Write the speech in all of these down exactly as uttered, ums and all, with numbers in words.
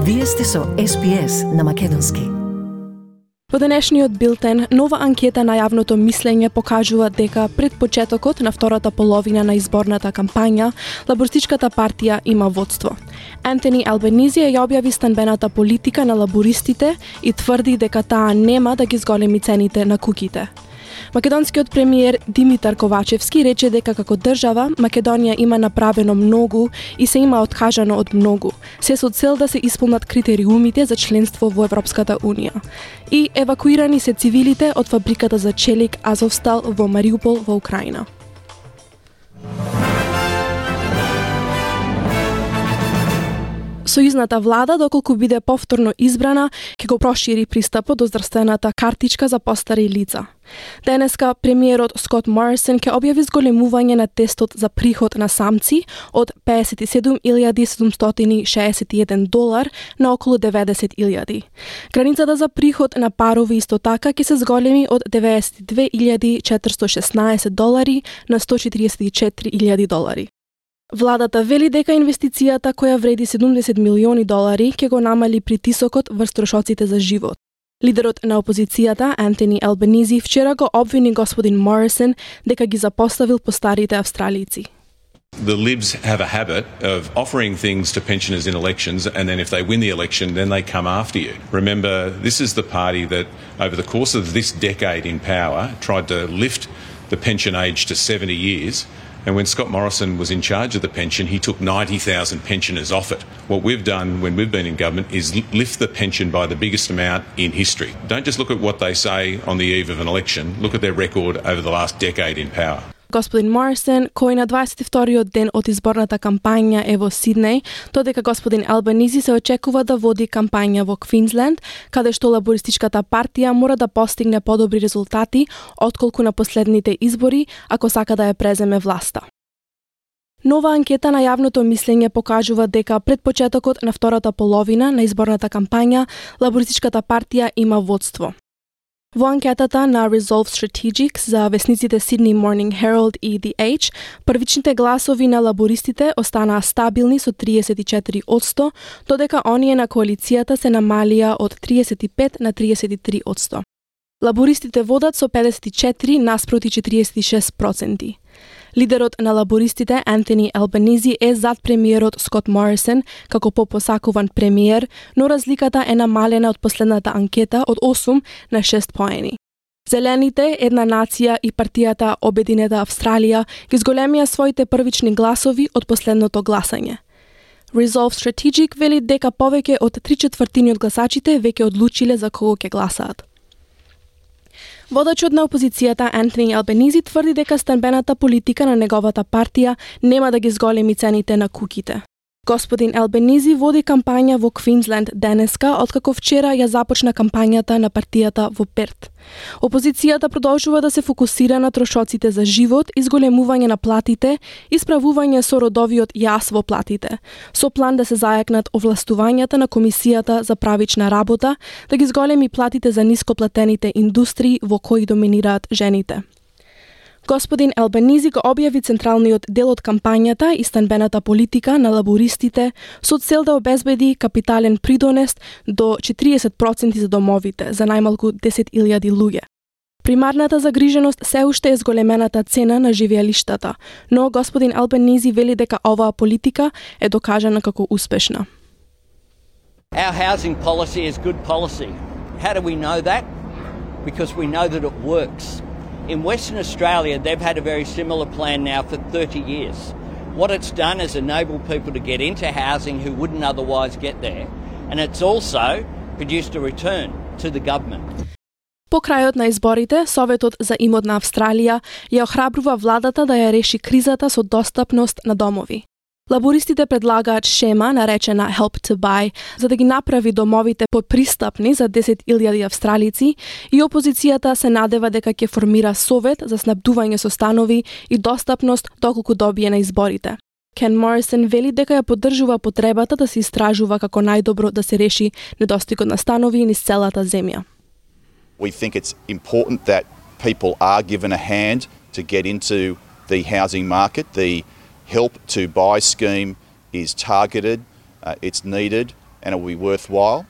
Вие сте со Ес Би Ес на македонски. Во денешниот билтен, нова анкета на јавното мислење покажува дека пред почетокот на втората половина на изборната кампања, лабористичката партија има водство. Антони Албанизи ја објави станбената политика на лабористите и тврди дека таа нема да ги зголеми цените на куките. Македонскиот премиер Димитар Ковачевски рече дека како држава Македонија има направено многу и се има откажано од многу, се со цел да се исполнат критериумите за членство во Европската Унија. И евакуирани се цивилите од фабриката за челик Азовстал во Мариупол во Украина. Сојузната влада, доколку биде повторно избрана, ќе го прошири пристапот до здравствената картичка за постари лица. Денеска премиерот Скот Морисон ќе објави зголемување на тестот за приход на самци од песет и седум илјади седумстотини шеесет и еден долар на околу деветдесет илјади. Границата за приход на парови исто така ќе се зголеми од деветдесет и две илјади четиристотини и шеснаесет долари на сто четиридесет и четири илјади долари. Владата вели дека инвестицијата која вреди седумдесет милиони долари ќе го намали притисокот врз трошоците за живот. Лидерот на опозицијата Антони Албанизи вчера го обвини господин Морисон дека ги запоставил постарите австралици. The Libs have a habit of offering things to pensioners in elections, and then if they win the election, then they come after you. Remember, this is the party that, over the course of this decade in power, tried to lift the pension age to seventy years. And when Scott Morrison was in charge of the pension, he took ninety thousand pensioners off it. What we've done when we've been in government is lift the pension by the biggest amount in history. Don't just look at what they say on the eve of an election, look at their record over the last decade in power. Господин Морисон, кој на дваесет и вториот ден од изборната кампања е во Сиднеј, додека господин Албанизи се очекува да води кампања во Квинсленд, каде што лабористичката партија мора да постигне подобри резултати отколку на последните избори, ако сака да ја преземе власта. Нова анкета на јавното мислење покажува дека пред почетокот на втората половина на изборната кампања, лабористичката партија има водство. Во анкетата на Resolve Strategics за весниците Sydney Morning Herald и The Age, првичните гласови на лабористите останаа стабилни со триесет и четири одсто, додека оние на коалицијата се намалија од триесет и пет на триесет и три одсто. Лабористите водат со педесет и четири наспроти четириесет и шест проценти. Лидерот на лабористите Антони Албанизи е зад премиерот Скот Морисон како попосакуван премиер, но разликата е намалена од последната анкета од осум на шест поени. Зелените, Една нација и партијата Обединета Австралија ги зголемија своите првични гласови од последното гласање. Resolve Strategic вели дека повеќе од три четвртини од гласачите веќе одлучиле за кого ќе гласаат. Водачот на опозицијата Антони Албанизи тврди дека станбената политика на неговата партија нема да ги зголеми цените на куките. Господин Албанизи води кампања во Квинсленд денеска, откако вчера ја започна кампањата на партијата во Перт. Опозицијата продолжува да се фокусира на трошоците за живот, изголемување на платите и справување со родовиот јас во платите, со план да се зајакнат овластувањата на Комисијата за правична работа, да ги зголеми платите за нископлатените индустрии во кои доминираат жените. Господин Албанизи го објави централниот дел од кампањата и станбената политика на лабористите со цел да обезбеди капитален придонес до четириесет проценти за домовите, за најмалку десет илјади луѓе. Примарната загриженост се уште е зголемената цена на живеалиштата, но господин Албанизи вели дека оваа политика е докажана како успешна. Our housing policy is good policy. How do we know that? Because we know that it works. In Western Australia, they've had a very similar plan now for thirty years. What it's done is enable people to get into housing who wouldn't otherwise get there, and it's also produced a return to the government. По крајот на изборите, Советот за имот на Австралија ја охрабрува владата да ја реши кризата со достапност на домови. Лабористите предлагаат шема наречена Help to Buy за да ги направи домовите попристапни за десет илјади австралици и опозицијата се надева дека ќе формира совет за снабдување со станови и достапност доколку добие на изборите. Кен Морисон вели дека ја поддржува потребата да се истражува како најдобро да се реши недостигот на станови низ целата земја. We think it's important that people are given a hand to get into the housing market. The Help to Buy scheme is targeted, uh, it's needed, and it will be worthwhile.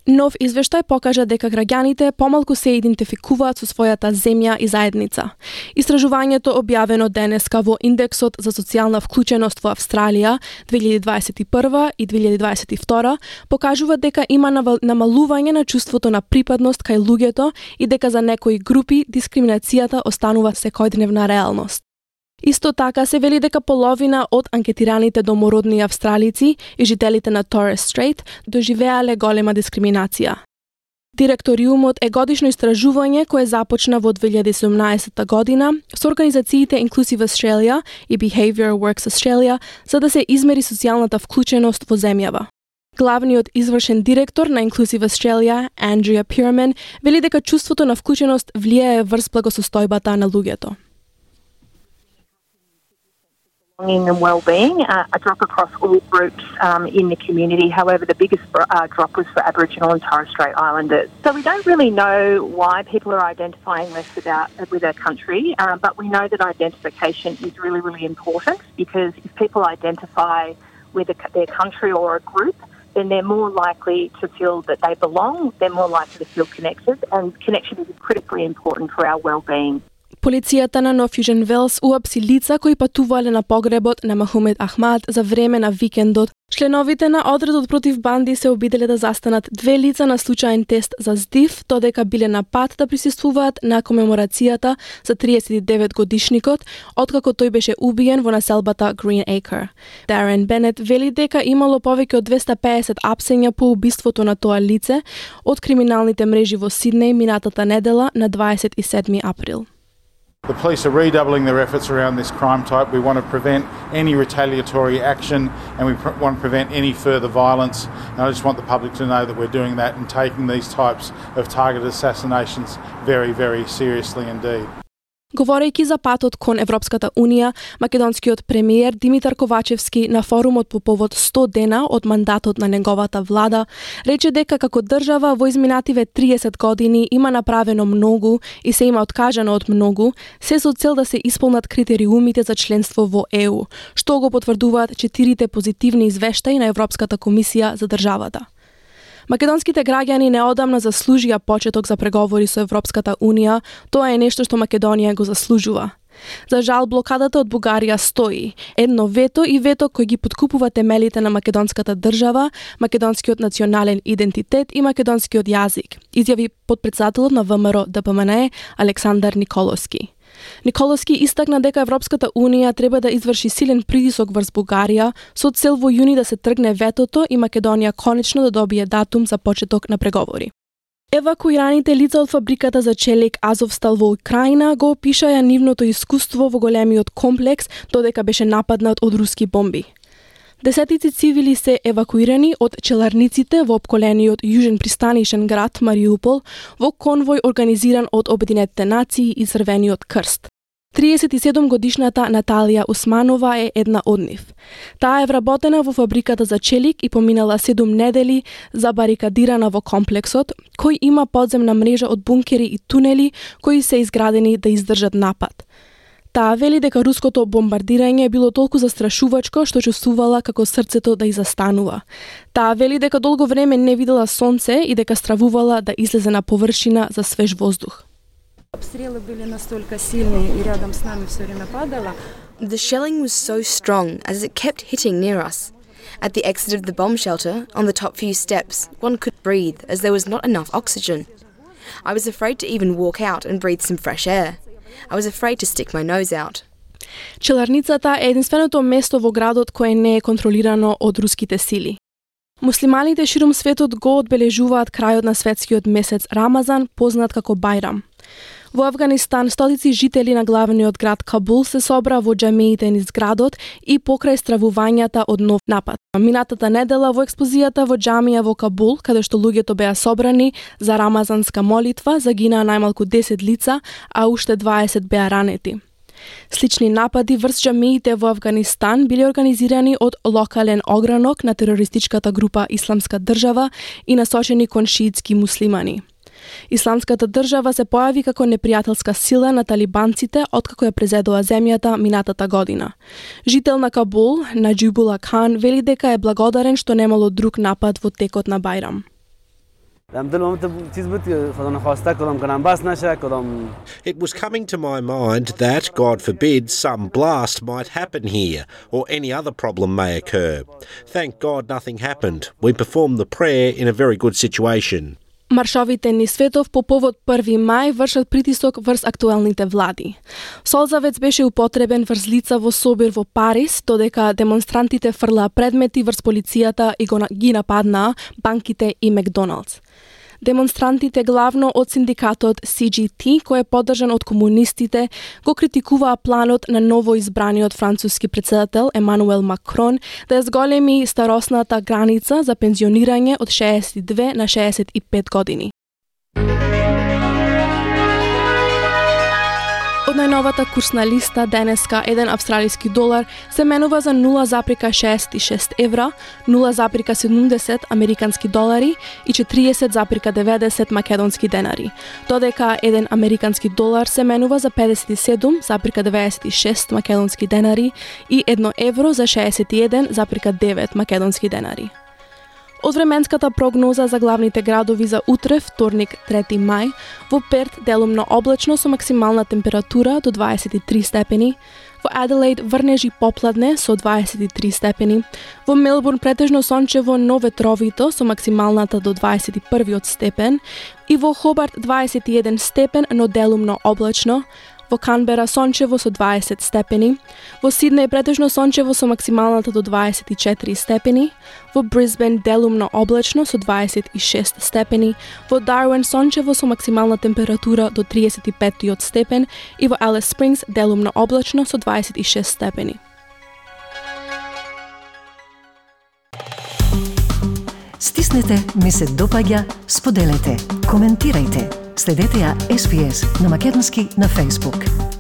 Нов извештај покажа дека граѓаните помалку се идентификуваат со својата земја и заедница. Истражувањето објавено денеска во Индексот за социјална вклученост во Австралија две илјади дваесет и прва и две илјади дваесет и втора покажува дека има намалување на чувството на припадност кај луѓето и дека за некои групи дискриминацијата останува секојдневна реалност. Исто така се вели дека половина од анкетираните домородни австралици и жителите на Торес Стрейт доживеале голема дискриминација. Директориумот е годишно истражување кое започна во две илјади и седумнаесета година со организациите Inclusive Australia и Behaviour Works Australia за да се измери социјалната вклученост во земјава. Главниот извршен директор на Inclusive Australia, Andrea Pierman, вели дека чувството на вклученост влијае врз благосостојбата на луѓето. And well-being, uh, a drop across all groups um, in the community. However, the biggest uh, drop was for Aboriginal and Torres Strait Islanders. So we don't really know why people are identifying less about with their country, uh, but we know that identification is really, really important because if people identify with a, their country or a group, then they're more likely to feel that they belong, they're more likely to feel connected, and connection is critically important for our well-being. Полицијата на Нов Јужен Велс уапси лица кои патувале на погребот на Махумед Ахмад за време на викендот. Членовите на одредот против банди се обиделе да застанат две лица на случаен тест за здив, додека биле на пат да присуствуваат на комеморацијата за триесет и девет годишникот, откако тој беше убиен во населбата Green Acre. Дарен Бенет вели дека имало повеќе од двеста пеесет апсења по убиството на тоа лице од криминалните мрежи во Сиднеј минатата недела на дваесет и седми април. The police are redoubling their efforts around this crime type. We want to prevent any retaliatory action and we pr- want to prevent any further violence. And I just want the public to know that we're doing that and taking these types of targeted assassinations very, very seriously indeed. Говорејќи за патот кон Европската Унија, македонскиот премиер Димитар Ковачевски на форумот по повод сто дена од мандатот на неговата влада, рече дека како држава во изминативе триесет години има направено многу и се има откажано од многу, се со цел да се исполнат критериумите за членство во Е У, што го потврдуваат четирите позитивни извештаи на Европската комисија за државата. Македонските граѓани неодамна заслужија почеток за преговори со Европската Унија, тоа е нешто што Македонија го заслужува. За жал, блокадата од Бугарија стои. Едно вето и вето кој ги подкупува темелите на македонската држава, македонскиот национален идентитет и македонскиот јазик, изјави подпредседателот на Вэ Ем Р Д П М Н Е Александар Николовски. Николовски истакна дека Европската Унија треба да изврши силен притисок врз Бугарија со цел во јуни да се тргне ветото и Македонија конечно да добие датум за почеток на преговори. Евакуираните лица од фабриката за челик Азовстал во Украина го опишаја нивното искуство во големиот комплекс додека беше нападнат од руски бомби. Десетици цивили се евакуирани од челарниците во опколениот јужен пристанишен град Мариупол во конвој организиран од Обединетите нации и Црвениот крст. триесет и седум годишната Наталија Усманова е една од нив. Таа е вработена во фабриката за челик и поминала седум недели забарикадирана во комплексот, кој има подземна мрежа од бункери и тунели кои се изградени да издржат напад. Таа вели дека руското бомбардирање било толку застрашувачко што чувствувала како срцето да ја застанува. Таа вели дека долго време не видела сонце и дека стравувала да излезе на површина за свеж воздух. Обстрелы были настолько сильные и рядом с нами всё время падало. The shelling was so strong as it kept hitting near us. At the exit of the bomb shelter, on the top few steps, one could breathe as there was not enough oxygen. I was afraid to even walk out and breathe some fresh air. I was afraid to stick my nose out. Челарницата е единственото место во градот кое не е контролирано од руските сили. Муслиманите ширум светот го одбележуваат крајот на светскиот месец Рамазан, познат како Бајрам. Во Авганистан, стотици жители на главниот град Кабул се собра во џамиите низ градот и покрај стравувањата од нов напад. Минатата недела во експлозијата во џамија во Кабул, каде што луѓето беа собрани за рамазанска молитва, загинаа најмалку десет лица, а уште дваесет беа ранети. Слични напади врз џамиите во Авганистан биле организирани од локален огранок на терористичката група Исламска држава и насочени кон шиитски муслимани. Исламската држава се појави како непријателска сила на талибанците откако ја презедоа земјата минатата година. Жител на Кабул, Наџибула Кан, вели дека е благодарен што немало друг напад во текот на Бајрам. It was coming to my mind that, God forbid, some blast might happen here, or any other problem may occur. Thank God nothing happened. We performed the prayer in a very good situation. Маршовите низ светов по повод први мај вршат притисок врз актуелните влади. Солзавец беше употребен врз лица во собир во Париз, додека демонстрантите фрлаа предмети врз полицијата и го ги нападнаа банките и Макдоналдс. Демонстрантите, главно од синдикатот Си Джи Ти, кој е поддржан од комунистите, го критикуваа планот на ново избраниот француски претседател Емануел Макрон да ја зголеми старосната граница за пензионирање од шеесет и две на шеесет и пет години. Од најновата курсна листа денеска еден австралиски долар се менува за нула запирка шеесет и шест евра, нула запирка седумдесет американски долари и четириесет запирка деветдесет македонски денари, додека еден американски долар се менува за педесет и седум запирка деветдесет и шест македонски денари и едно евро за шеесет и еден запирка девет македонски денари. Од временската прогноза за главните градови за утре, вторник, трети мај, во Перт делумно облачно со максимална температура до дваесет и три степени, во Аделаид врнежи попладне со дваесет и три степени, во Мелбурн претежно сончево, но ветровито со максималната до дваесет и првиот степен и во Хобарт дваесет и еден степен, но делумно облачно, во Канбера сончево со дваесет степени, во Сиднеј претежно сончево со максималната до дваесет и четири степени, во Брисбен делумно облачно со дваесет и шест степени, во Дарвин сончево со максимална температура до триесет и петиот степен и во Алис Спрингс делумно облачно со дваесет и шест степени. Стиснете, ми се допаѓа, споделете, коментирајте. Следете ја Ес Би Ес на македонски на Facebook.